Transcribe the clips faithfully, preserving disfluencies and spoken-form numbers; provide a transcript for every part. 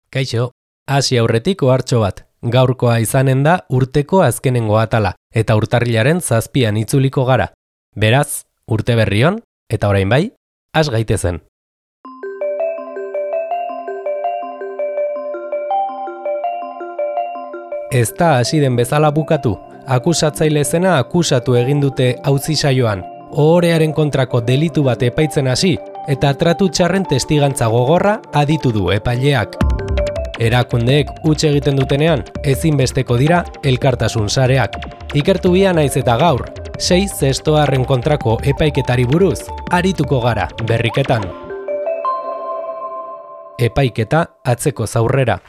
Kaixo, hasi aurretik ohartxo bat. Gaurkoa izanen da urteko azkenengo atala, eta urtarrilaren zazpian itzuliko gara. Beraz, urte berrion, eta orain bai, has gaitezen. Ez da hasi den bezala bukatu. Akusatzaile zena akusatu egin dute auzi saioan. Ohorearen kontrako delitu bat epaitzen hasi, eta tratu txarren testigantza gogorra aditu du epaileak. Erakundeek huts egiten dutenean, ezinbesteko dira elkartasun sareak. Ikertu bia naiz eta gaur, sei zestoarren kontrako epaiketari buruz, arituko gara berriketan. Epaiketa atzeko zaurrera.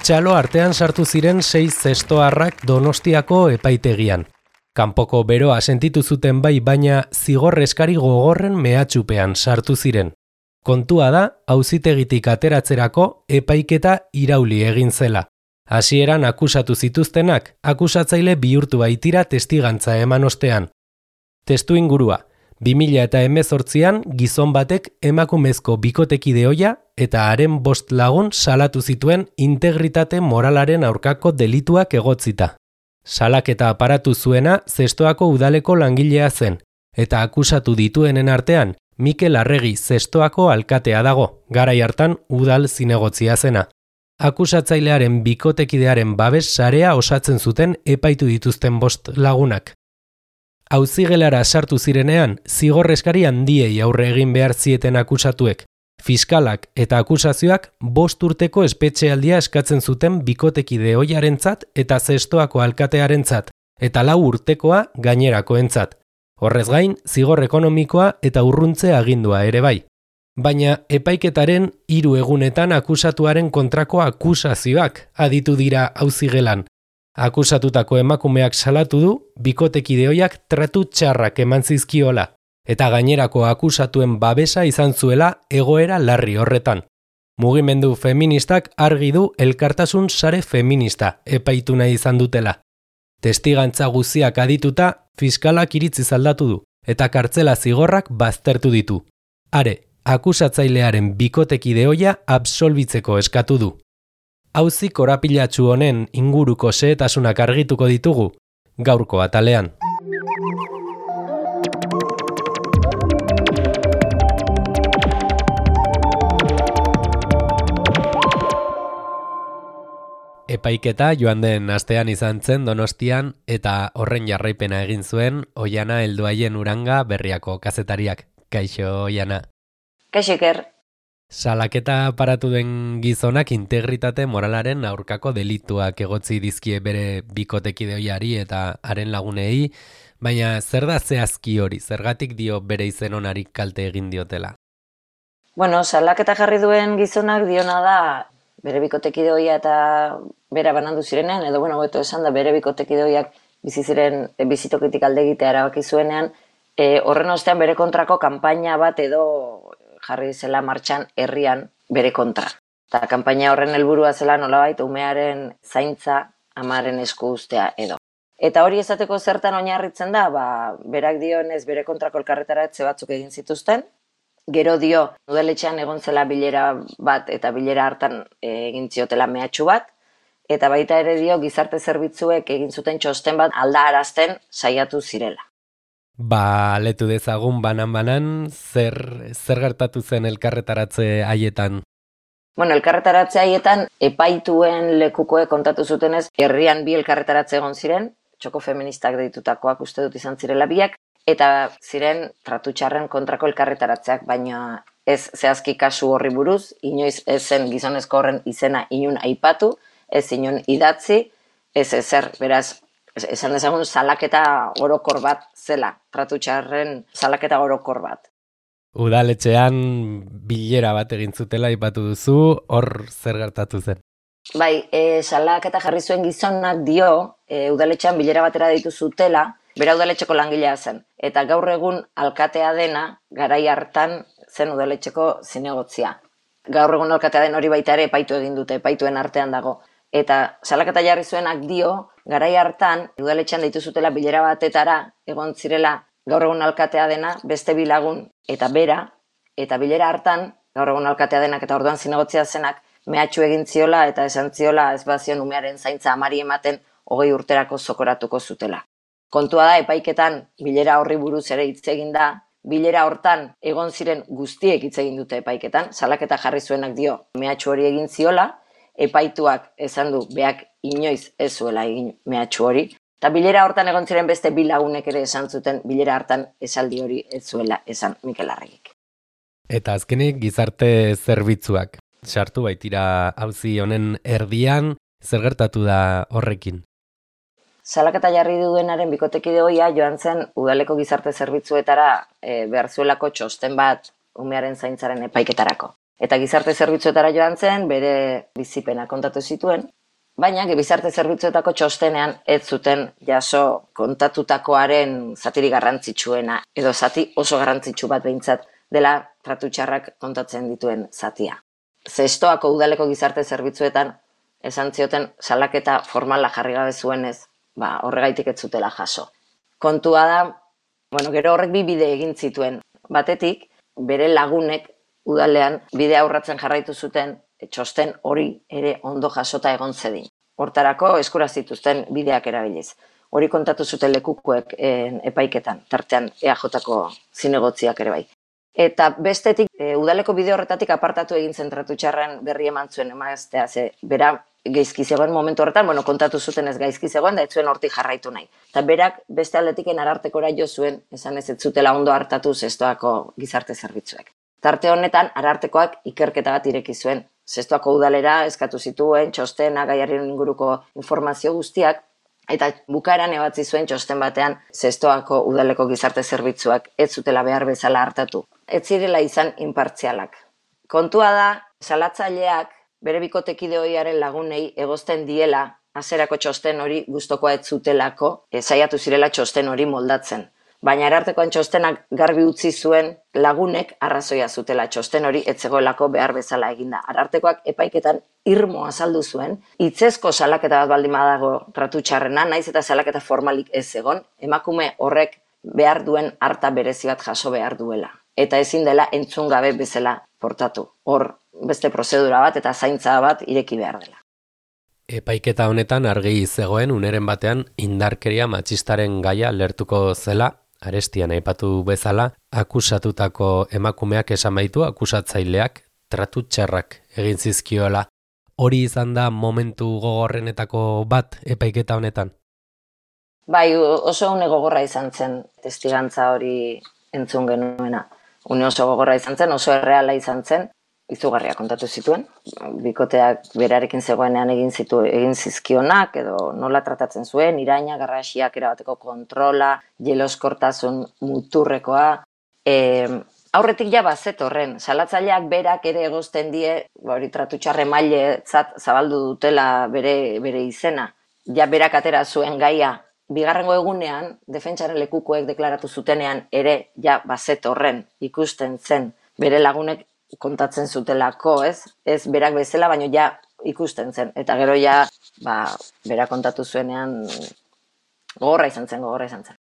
Txalo artean sartu ziren sei zestoarrak Donostiako epaitegian. Kanpoko beroa sentitu zuten bai, baina zigor eskari gogorren mehatxupean sartu ziren. Kontua da, auzitegitik ateratzerako epaiketa irauli egin zela. Hasieran akusatu zituztenak, akusatzaile bihurtu baitira testigantza eman ostean. Testu ingurua, bi mila hemezortzian gizon batek emakumezko bikotekide ohia eta haren bost lagun salatu zituen integritate moralaren aurkako delituak egotzita. Salaketa aparatu zuena Zestoako udaleko langilea zen, eta akusatu dituenen artean Mikel Arregi Zestoako alkatea dago, garai hartan udal zinegotzia zena. Akusatzailearen bikotekidearen babes sarea osatzen zuten epaitu dituzten bost lagunak. Auzigelara sartu zirenean, zigor eskari handiei aurre egin behar zieten akusatuek. Fiskalak eta akusazioak bost urteko espetxealdia eskatzen zuten bikotekide ohiarentzat eta Zestoako alkatearentzat, eta lau urtekoa gainerakoentzat. Horrez gain, zigor ekonomikoa eta urruntze agindua ere bai. Baina epaiketaren hiru egunetan akusatuaren kontrako akusazioak aditu dira auzigelan. Akusatutako emakumeak salatu du bikotekide ohiak tratu txarrak eman zizkiola, eta gainerako akusatuen babesa izan zuela egoera larri horretan. Mugimendu feministak argi du elkartasun sare feminista epaitu nahi izan dutela. Testigantza guziak adituta, fiskalak iritziz aldatu du, eta kartzela zigorrak baztertu ditu. Are, akusatzailearen bikotekide ohia absolbitzeko eskatu du. Auzi korapilatsu honen inguruko xehetasunak argituko ditugu, gaurko atalean. Epaiketa joan den astean izan zen Donostian eta horren jarraipena egin zuen Oiana Helduaien Uranga Berriako kazetariak. Kaixo, Oiana. Kaixo, Iker. Salaketa aparatu den gizonak integritate moralaren aurkako delituak egotzi dizkie bere bikotekide ohiari eta haren lagunei, baina zer da zehazki hori, zergatik dio bere izen onari kalte egin diotela? Bueno, salaketa jarri duen gizonak diona da bere bikotekide ohia eta bera banandu zirenean, edo bueno, hobeto esan da bere bikotekide ohiak bizi ziren bizitokitik alde egitea erabaki zuenean, e, horren ostean bere kontrako kanpaina bat edo jarri zela martxan herrian bere kontra. Eta kanpaina horren helburua zela nolabait umearen zaintza amaren esku uztea edo. Eta hori esateko zertan oinarritzen da, ba, berak dionez bere kontrako elkarretaratze batzuk egin zituzten, gero dio udaletxean egon zela bilera bat eta bilera hartan egin ziotela mehatxu bat, eta baita ere dio gizarte zerbitzuek egin zuten txosten bat aldarazten saiatu zirela. Ba, letu dezagun banan-banan, zer, zer gertatu zen elkarretaratze haietan? Bueno, elkarretaratze haietan epaituen lekukoek kontatu zutenez, herrian bi elkarretaratze egon ziren, txoko feministak deitutakoak uste dut izan zirela biak, eta ziren tratu txarren kontrako elkarretaratzeak, baina ez zehazki kasu horri buruz, inoiz ez zen gizonezko horren izena inun aipatu, ez inun idatzi, ez ezer, beraz, esan dezagun salaketa orokor bat zela, tratu txarren salaketa orokor bat. Udaletxean bilera bat egin zutela aipatu duzu, hor zer gertatu zen? Bai, e, salaketa jarri zuen gizonak dio, e, udaletxean bilera batera ditu zutela, bera udaletxeko langilea zen. Eta gaur egun alkatea dena, garai hartan zen udaletxeko zinegotzia. Gaur egun alkatea den hori baita ere epaitu egin dute, epaituen artean dago. Eta salaketa jarri zuenak dio, garai hartan udaletxean deitu zutela bilera batetara, egon zirela gaur egun alkatea dena, beste bi lagun eta bera, eta bilera hartan, gaur egun alkatea denak eta orduan zinegotzia zenak, mehatxu egin ziola eta esan ziola ez bazion umearen zaintza amari ematen hogei urterako zokoratuko zutela. Kontua da, epaiketan bilera horri buruz ere hitz egin da, bilera hortan egon ziren guztiek hitz egin dute epaiketan, salaketa jarri zuenak dio mehatxu hori egin ziola, epaituak esan du beak inoiz ez zuela egin mehatxu hori, eta bilera hortan egon ziren beste bi lagunek ere esan zuten bilera hartan esaldi hori ez zuela esan Mikel Arregik. Eta azkenik gizarte zerbitzuak. Sartu baitira auzi honen erdian, zer gertatu da horrekin? Salaketa jarri duenaren bikotekide ohia joan zen udaleko gizarte zerbitzuetara e, behar zuelako txosten bat umearen zaintzaren epaiketarako. Eta gizarte zerbitzuetara joan zen, bere bizipena kontatu zituen, baina gizarte zerbitzuetako txostenean ez zuten jaso kontatutakoaren zatiri garrantzitsuena, edo zati oso garrantzitsu bat behintzat dela tratu txarrak kontatzen dituen zatia. Zestoako udaleko gizarte zerbitzuetan esan zioten salaketa formala jarri gabe zuenez, ba, horregaitik ez zutela jaso. Kontua da, bueno, gero horrek bi bide egin zituen. Batetik, bere lagunek udalean bidea urratzen jarraitu zuten txosten hori ere ondo jasota egon zedin. Hortarako eskura zituzten bideak erabiliz. Hori kontatu zuten lekukoek en, epaiketan, tartean E A Jko zinegotziak ere bai. Eta bestetik, e, udaleko bide horretatik apartatu egin zen tratu txarren berri eman zuen emaztea, ze bera gaizki zegoen momentu horretan, bueno, kontatu zuten ez gaizki zegoen, da ez zuen hortik jarraitu nahi. Eta berak beste aldetiken arartekora jo zuen, esan ez ez zutela ondo hartatu zestoako gizarte zerbitzuek. Tarte honetan, arartekoak ikerketa bat ireki zuen. Zestoako udalera eskatu zituen, txostena, gaiaren inguruko informazio guztiak, eta bukaeran ebatzi zuen txosten batean Zestoako udaleko gizarte zerbitzuak ez zutela behar bezala hartatu. Ez zirela izan inpartzialak. Kontua da, salatzaileak bere bikotekide ohiaren lagunei egozten diela hasierako txosten hori gustokoa ez zutelako, e, saiatu zirela txosten hori moldatzen. Baina arartekoan txostenak garbi utzi zuen lagunek arrazoia zutela txosten hori ez zegoelako behar bezala eginda. Arartekoak epaiketan irmo azaldu zuen, hitzezko salaketa bat baldin badago tratu txarrena, naiz eta salaketa formalik ez egon, emakume horrek behar duen harta berezi bat jaso behar duela. Eta ezin dela entzun gabe bezala portatu. Hor beste prozedura bat eta zaintza bat ireki behar dela. Epaiketa honetan argi zegoen uneren batean indarkeria matxistaren gaia lertuko zela, arestian aipatu bezala, akusatutako emakumeak esan baitu akusatzaileak tratu txarrak egin zizkiola. Hori izan da momentu gogorrenetako bat epaiketa honetan? Bai, oso une gogorra izan zen testigantza hori entzun genuena. Une oso gogorra izan zen, oso erreala izan zen, izugarria kontatu zituen. Bikoteak berarekin zegoenean egin zitu, egin zizkionak, edo nola tratatzen zuen, iraina, garrasiak erabateko kontrola, jeloskortasun muturrekoa. E, aurretik ja bazet horren, salatzaileak berak ere egozten die, hori tratu txarre mailetzat zabaldu dutela bere, bere izena. Ja berak atera zuen gaia, bigarrengo egunean, defentsaren lekukoek deklaratu zutenean ere ja bazet horren ikusten zen bere lagunek kontatzen zutelako, ez? Ez berak bezala, baino ja ikusten zen. Eta gero ja, ba, berak kontatu zuenean gogorra izan zen, gogorra izan zen.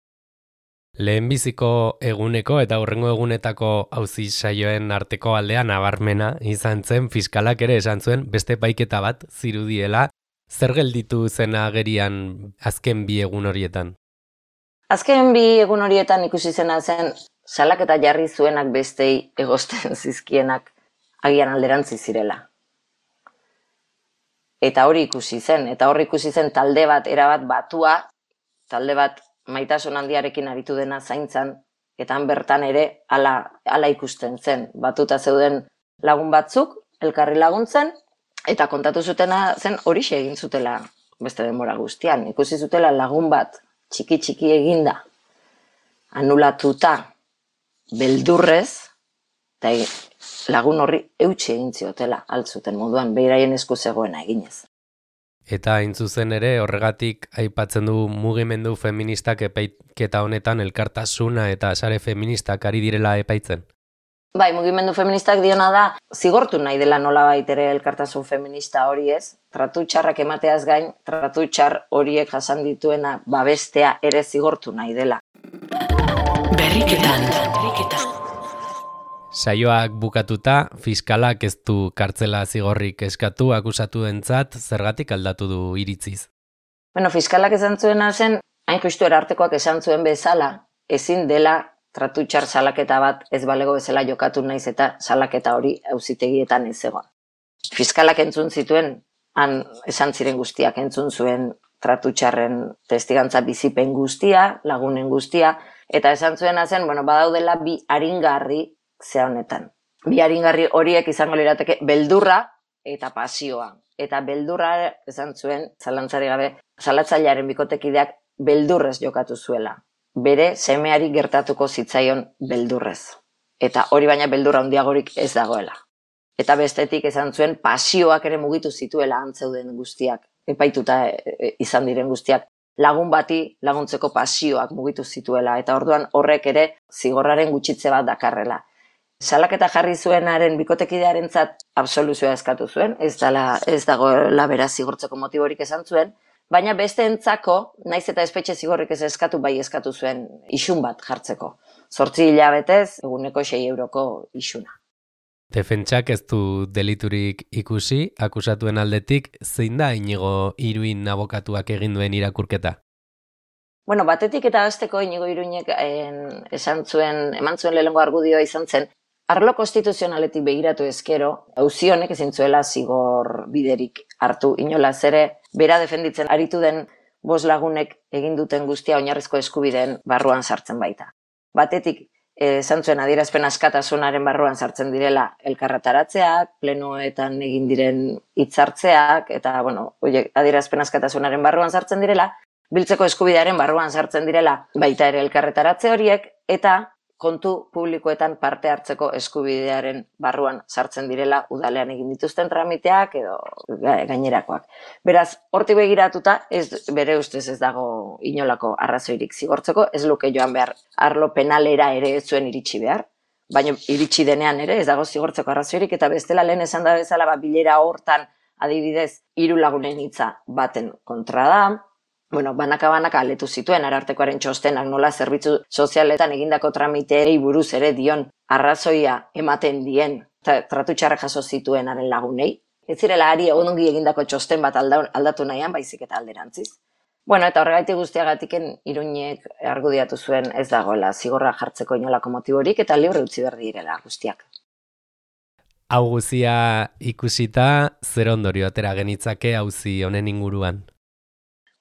Lehenbiziko eguneko eta hurrengo egunetako auzi saioen arteko aldea nabarmena izan zen, fiskalak ere esan zuen beste epaiketa bat zirudiela. Zer gelditu zen agerian azken bi egun horietan? Azken bi egun horietan ikusi zena zen salaketa jarri zuenak bestei egozten zizkienak agian alderantzi zirela. Eta hori ikusi zen, eta hori ikusi zen talde bat erabat batua, talde bat maitasun handiarekin aritu dena zaintzan, eta han bertan ere hala, hala ikusten zen. Batuta zeuden lagun batzuk, elkarri laguntzen, eta kontatu zutena zen horixe egin zutela beste denbora guztian. Ikusi zutela lagun bat txiki-txiki eginda, anulatuta, beldurrez, eta lagun horri eutxe egin ziotela altzuten moduan, behiraien esku zegoena eginez. Eta hain zuzen ere horregatik aipatzen du mugimendu feministak epaiketa honetan elkartasuna eta sare feministak ari direla epaitzen. Bai, mugimendu feministak diona da, zigortu nahi dela nolabait ere elkartasun feminista hori ez, tratu txarrak emateaz gain, tratu txar horiek jasan dituena babestea ere zigortu nahi dela. Berriketan. Saioak bukatuta, fiskalak ez du kartzela zigorrik eskatu akusatuentzat zergatik aldatu du iritziz. Bueno, fiskalak esan zuena zen, hain justu erartekoak esan zuen bezala, ezin dela tratu txar salaketa bat ez balego bezala jokatu naiz eta salaketa hori auzitegietan ez egon. Fiskalak entzun zituen, han esan ziren guztiak entzun zuen tratu txarren testigantza bizipen guztia, lagunen guztia, eta esan zuena zen, bueno, badaudela bi aringarri ze honetan. Bi aringarri horiek izango lirateke beldurra eta pasioa. Eta beldurra esan zuen, zalantzari gabe, salatzailearen bikotekideak beldurrez jokatu zuela. Bere semeari gertatuko zitzaion beldurrez. Eta hori baina beldurra handiagorik ez dagoela. Eta bestetik esan zuen pasioak ere mugitu zituela antzeuden guztiak, epaituta izan diren guztiak. Lagun bati laguntzeko pasioak mugitu zituela, eta orduan horrek ere zigorraren gutxitze bat dakarrela. Salaketa jarri zuenaren bikotekidearentzat absoluzioa eskatu zuen, ez dela ez dagoela beraz zigortzeko motiborik esan zuen, baina besteentzako, naiz eta espetxe zigorrik ez eskatu, bai eskatu zuen isun bat jartzeko. Zortzi hilabetez, eguneko sei euroko isuna. Defentsak ez du deliturik ikusi, akusatuen aldetik, zein da Inigo Iruin abokatuak egin duen irakurketa? Bueno, batetik eta hasteko Inigo Iruinek esan zuen, eman zuen lehenengo argudioa izan zen, arlo konstituzionaletik begiratu ezkero, auzi honek ezin zuela zigor biderik hartu inolaz ere, bera defenditzen aritu den bost lagunek egin duten guztia oinarrizko eskubideen barruan sartzen baita. Batetik, esan zuen adierazpen askatasunaren barruan sartzen direla elkarretaratzeak, plenoetan egin diren hitzartzeak, eta, bueno, oie, adierazpen askatasunaren barruan sartzen direla, biltzeko eskubidearen barruan sartzen direla baita ere elkarretaratze horiek, eta kontu publikoetan parte hartzeko eskubidearen barruan sartzen direla udalean egin dituzten tramiteak edo gainerakoak. Beraz, hortik begiratuta, ez, bere ustez ez dago inolako arrazoirik zigortzeko, ez luke joan behar arlo penalera ere ez zuen iritsi behar, baina iritsi denean ere ez dago zigortzeko arrazoirik, eta bestela lehen esan da bezala ba, bilera hortan adibidez hiru lagunen hitza baten kontra da. Bueno, banaka-banaka aletu zituen arartekoaren txostenak nola zerbitzu sozialetan egindako tramiteei buruz ere dion arrazoia ematen dien tratu txarra jaso zituenaren lagunei. Ez zirela ari ongi egindako txosten bat aldatu nahian, baizik eta alderantziz. Bueno, eta horregaitik guztiagatiken Iruinek argudiatu zuen ez dagoela zigorra jartzeko inolako motiborik eta libre utzi behar direla guztiak. Hau guzia ikusita, zer ondorio atera genitzake auzi honen inguruan?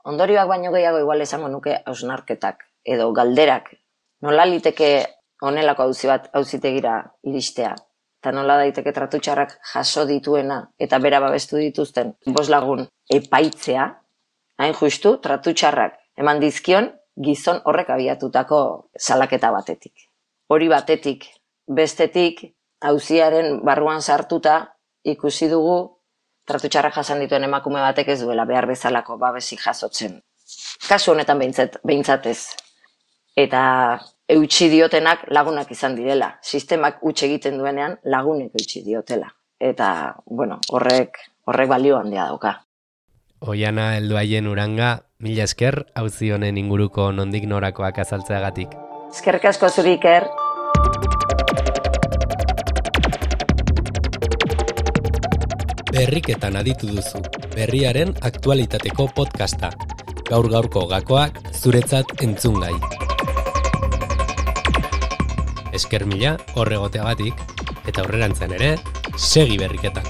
Ondorioak baino gehiago igual esango nuke hausnarketak edo galderak. Nola liteke honelako auzi bat auzitegira iristea, eta nola daiteke tratu txarrak jaso dituena eta bera babestu dituzten bost lagun epaitzea, hain justu tratu txarrak eman dizkion gizon horrek abiatutako salaketa batetik. Hori batetik, bestetik, auziaren barruan sartuta ikusi dugu tratu txarrak jasan dituen emakume batek ez duela behar bezalako babesik jasotzen. Kasu honetan behintzat, behintzatez. Eta eutsi diotenak lagunak izan direla. Sistemak huts egiten duenean lagunek eutsi diotela. Eta, bueno, horrek, horrek balio handia dauka. Oiana Helduaien Uranga, mila esker, auzi honen inguruko nondik norakoak azaltzeagatik. Eskerrik asko zuri, Iker. Berriketan aditu duzu, berriaren aktualitateko podcasta. Gaur-gaurko gakoak zuretzat entzungai. Esker mila horregoteagatik, eta aurrerantzen ere, segi berriketan.